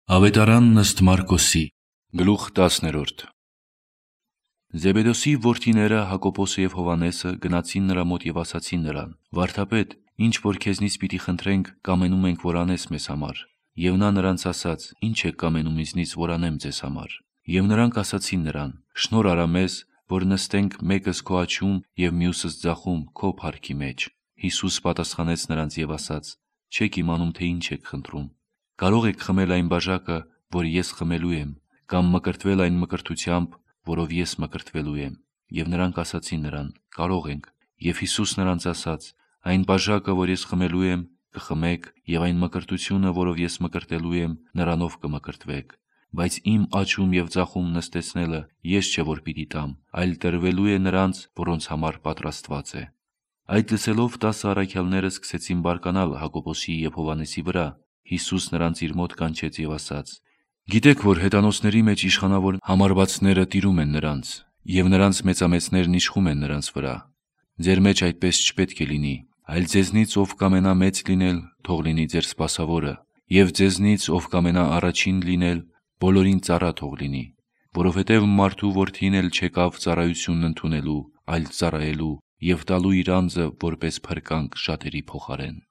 Ավետարանն ըստ Մարկոսի, գլուխ 10։ Զեբեդոսի որդիները Հակոբոսը և Հովհաննեսը գնացին նրա մոտ և ասացին նրան. «Վարդապետ, ինչ որ քեզնից պիտի խնդրենք, կամենում ենք, որ անես մեզ համար»։ Եվ նա նրանց ասաց. «Ինչ եք կամենում ինձնից, որ անեմ ձեզ համար»։ Եվ նրանք ասացին նրան. «Շնորհ արա մեզ, որ նստենք մեկս քո աջում և մյուսս ձախում քո փառքի մեջ»։ Հիսուս պատասխանեց նրանց և ասաց. «Չեք իմանում, թե ինչ եք խնդրում։ Կարո՞ղ եք խմել այն բաժակը, որ ես խմելու եմ, կամ մկրտվել այն մկրտությամբ, որով ես մկրտվելու եմ»։ Եվ նրանք ասացին նրան. «Կարող ենք»։ Եվ Հիսուս նրանց ասաց. «Այն բաժակը, որ ես խմելու եմ, կխմեք, և այն մկրտությունը, որով ես մկրտելու եմ, նրանով կմկրտվեք։ Բայց իմ աջում և ձախում նստեցնելը ես չէ, որ պիտի տամ, այլ տրվելու է նրանց, որոնց համար պատրաստված է»։ Այդ լսելով 10 առաքյալները սկսեցին բարկանալ Հակոբոսի և Հովհաննեսի վրա։ Հիսուս նրանց իր մոտ կանչեց և ասաց. «Գիտեք, որ հեթանոսների մեջ իշխանավոր համարվածները տիրում են նրանց, և նրանց մեծամեծներն իշխում են նրանց վրա։ Ձեր մեջ այդպես չպետք է լինի, այլ ձեզնից ով կամենա մեծ լինել, թող լինի ձեր սպասավորը, և ձեզնից ով կամենա առաջին լինել, բոլորին ծառա թող լինի։ Որովհետև մարդու որդին էլ չեկավ ծառայությունն ընդունելու, այլ ծառայելու և տալու իր անձը որպես փրկանք շատերի փոխարեն»։